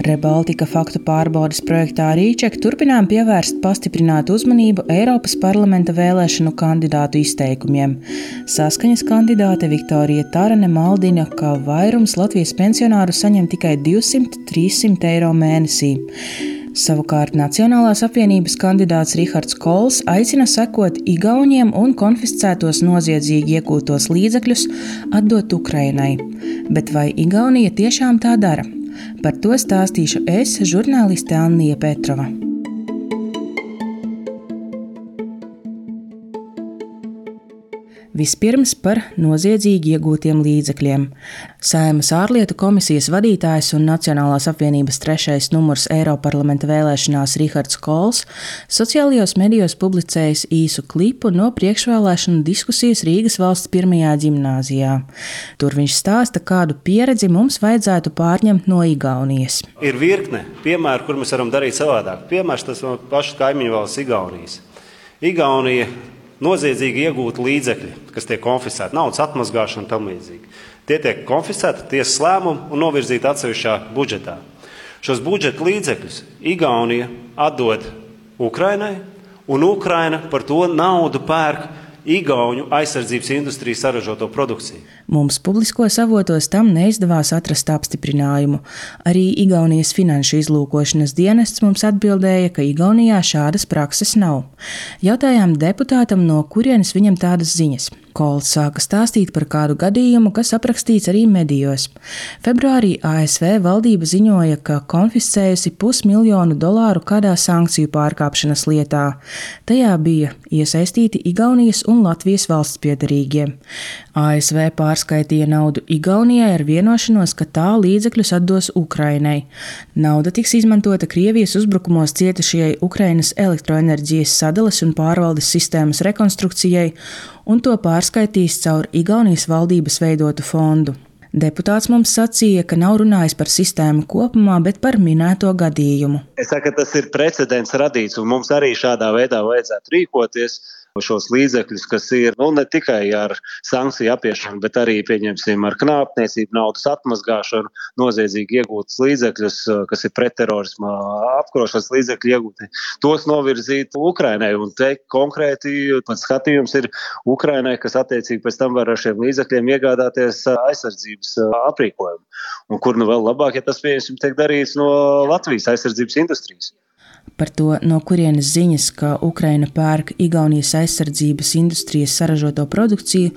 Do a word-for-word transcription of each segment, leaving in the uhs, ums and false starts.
Rebaltika faktu pārbaudes projektā Rīček turpinām pievērst pastiprinātu uzmanību Eiropas parlamenta vēlēšanu kandidātu izteikumiem. Saskaņas kandidāte Viktorija Tarane maldina, ka vairums Latvijas pensionāru saņem tikai divsimt līdz trīssimt eiro mēnesī. Savukārt Nacionālās apvienības kandidāts Rihards Kols aicina sekot Igauniem un konfiscētos noziedzīgi iegūtos līdzekļus atdot Ukrainai. Bet vai Igaunija tiešām tā dara? Par to stāstīšu es, žurnāliste Annija Petrova. Vispirms par noziedzīgi iegūtiem līdzekļiem. Saeimas ārlietu komisijas vadītājs un Nacionālās apvienības trešais numurs Eiroparlamenta vēlēšanās Rihards Kols sociālajos medijos publicējis īsu klipu no priekšvēlēšanu diskusijas Rīgas valsts pirmajā ģimnāzijā. Tur viņš stāsta, kādu pieredzi mums vajadzētu pārņemt no Igaunijas. Ir virkne piemēru, kur mēs varam darīt savādāk. Piemērs tas no pašas kaimiņu valsts Igaunijas. Igaunija noziedzīgi iegūti līdzekļi, kas tiek konfiscēti, naudas atmazgāšana un tam līdzīgi. Tie tiek konfiscēti tiesas lēmumu un novirzīti atsevišķā budžetā. Šos budžeta līdzekļus Igaunija atdod Ukrainai, un Ukraina par to naudu pērk Igauņu aizsardzības industrijas saražoto produkciju. Mums publiskos avotos tam neizdevās atrast apstiprinājumu. Arī Igaunijas finanšu izlūkošanas dienests mums atbildēja, ka Igaunijā šādas prakses nav. Jautājām deputātam, no kurienes viņam tādas ziņas. Kols sāka stāstīt par kādu gadījumu, kas aprakstīts arī medijos. Februārī A S V valdība ziņoja, ka konfiscējusi pusmiljonu dolāru kādā sankciju pārkāpšanas lietā. Tajā bija iesaistīti Igaunijas un Latvijas valsts piederīgie. A S V pārskaitīja naudu Igaunijai ar vienošanos, ka tā līdzekļus atdos Ukrainai. Nauda tiks izmantota Krievijas uzbrukumos cietušajai Ukrainas elektroenerģijas sadales un pārvaldes sistēmas rekonstrukcijai, un to pārskaitīs caur Igaunijas valdības veidotu fondu. Deputāts mums sacīja, ka nav runājis par sistēmu kopumā, bet par minēto gadījumu. Es saku, ka tas ir precedents radīts, un mums arī šādā veidā vajadzētu rīkoties. Šos līdzekļus, kas ir nu, ne tikai ar sankciju apiešanu, bet arī, pieņemsim, ar knāpniecību, naudas atmazgāšanu, noziedzīgi iegūtas līdzekļus, kas ir pretterorisma apkarošanas līdzekļi iegūti, tos novirzīt Ukrainai. Un te konkrēti pats skatījums ir Ukrainai, kas attiecīgi pēc tam var ar šiem līdzekļiem iegādāties aizsardzības aprīkojumu. Un kur nu vēl labāk, ja tas, pieņemsim, tiek darīts no Latvijas aizsardzības industrijas. Par to, no kurienes ziņas, ka Ukraina pērk Igaunijas aizsardzības industrijas saražoto produkciju,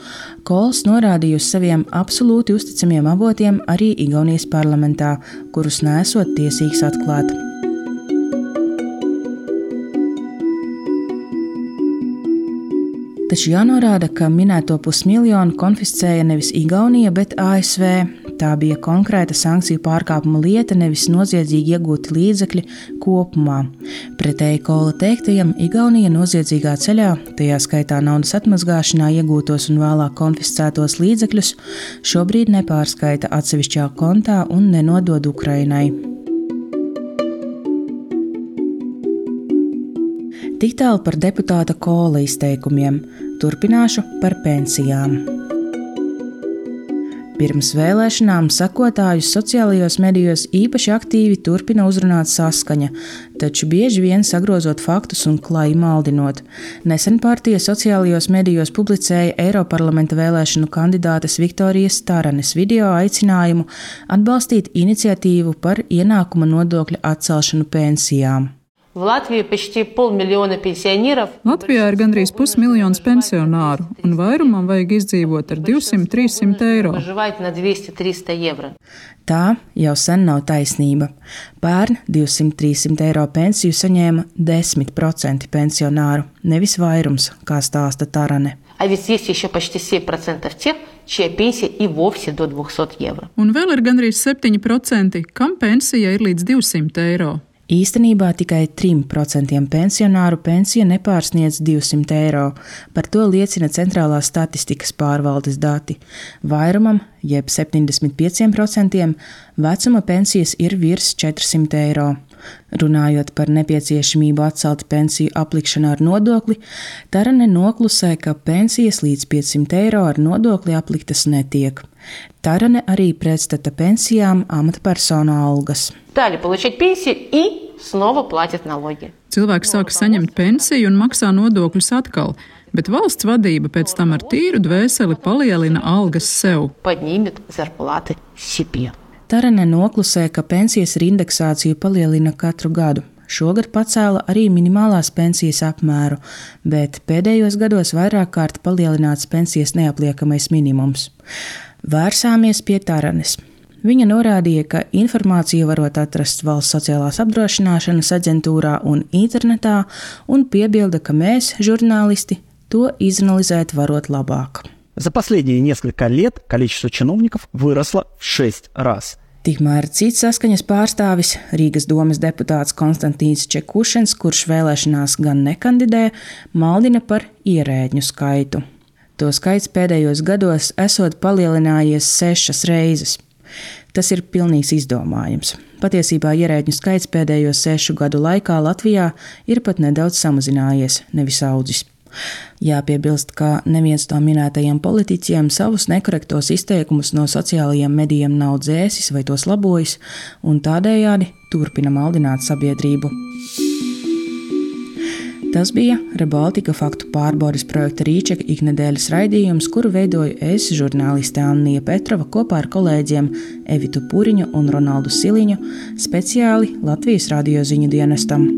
Kols norādīja uz saviem absolūti uzticamiem avotiem arī Igaunijas parlamentā, kurus nesot tiesīgs atklāt. Taču jānorāda, ka minēto pusmiljonu konfiscēja nevis Igaunija, bet A S V. Tā bija konkrēta sankciju pārkāpuma lieta, nevis noziedzīgi iegūti līdzekļi kopumā. Pretēji Kola teiktajam, Igaunija noziedzīgā ceļā, tajā skaitā naudas atmazgāšanā iegūtos un vēlāk konfiscētos līdzekļus, šobrīd nepārskaita atsevišķā kontā un nenodod Ukrainai. Tik tālu par deputāta Kola izteikumiem. Turpināšu par pensijām. Pirms vēlēšanām sekotājus sociālajos medijos īpaši aktīvi turpina uzrunāt Saskaņa, taču bieži vien sagrozot faktus un klāji maldinot. Nesen partija sociālajos medijos publicēja Eiroparlamenta vēlēšanu kandidātes Viktorijas Taranes video aicinājumu atbalstīt iniciatīvu par ienākuma nodokļa atcelšanu pensijām. Latvijā ir gandrīz pusmiljons pensionāru, un vairumam vajag izdzīvot ar divsimt līdz trīssimt eiro. Tā jau sen nav taisnība. Pērn divsimt līdz trīssimt eiro pensiju saņēma desmit procenti pensionāru, nevis vairums, kā stāsta Tarane. Un vēl ir gandrīz septiņi procenti, kam pensija ir līdz divsimt eiro. Īstenībā tikai trim procentiem pensionāru pensija nepārsniedz divsimt eiro. Par to liecina Centrālās statistikas pārvaldes dati. Vairumam, jeb septiņdesmit pieciem procentiem, vecuma pensijas ir virs četrsimt eiro. Runājot par nepieciešamību atcelt pensiju aplikšanu ar nodokli, Tarane noklusē, ka pensijas līdz piecsimt eiro ar nodokli apliktas netiek. Tarane arī pretstata pensijām amatpersonu algas. Стали получать пенсию и снова платят налоги. Cilvēks sāka saņemt pensiju un maksā nodokļus atkal, bet valsts vadība pēc tam ar tīru dvēseli palielina algas sev. Поднимет зарплаты себе. Tarane noklusē, ka pensijas ar indeksāciju palielina katru gadu. Šogad pacēla arī minimālās pensijas apmēru, bet pēdējos gados vairāk kārt palielināts pensijas neapliekamais minimums. Vērsāmies pie Taranes. Viņa norādīja, ka informāciju varot atrast Valsts sociālās apdrošināšanas aģentūrā un internetā, un piebilda, ka mēs, žurnālisti, to izanalizēt varot labāk. За последние несколько лет количество чиновников выросло в шесть раз. Tikmēr cits saskaņas pārstāvis, Rīgas domes deputāts Konstantīns Čekušens, kurš vēlēšanās gan nekandidē, maldina par ierēģņu skaitu. To skaits pēdējos gados esot palielinājies sešas reizes. Tas ir pilnīgs izdomājums. Patiesībā ierēģņu skaits pēdējos sešu gadu laikā Latvijā ir pat nedaudz samazinājies, nevis audzis. Jāpiebilst, ka neviens no minētajiem politiķiem savus nekorektos izteikumus no sociālajiem medijiem nav dzēsis vai tos labojis, un tādējādi turpina maldināt sabiedrību. Tas bija Rebaltika faktu pārbaudes projekta Rīčeka iknedēļas raidījums, kuru veidoju es, žurnāliste Annija Petrova, kopā ar kolēģiem Evitu Puriņu un Ronaldu Siliņu, speciāli Latvijas radio ziņu dienestam.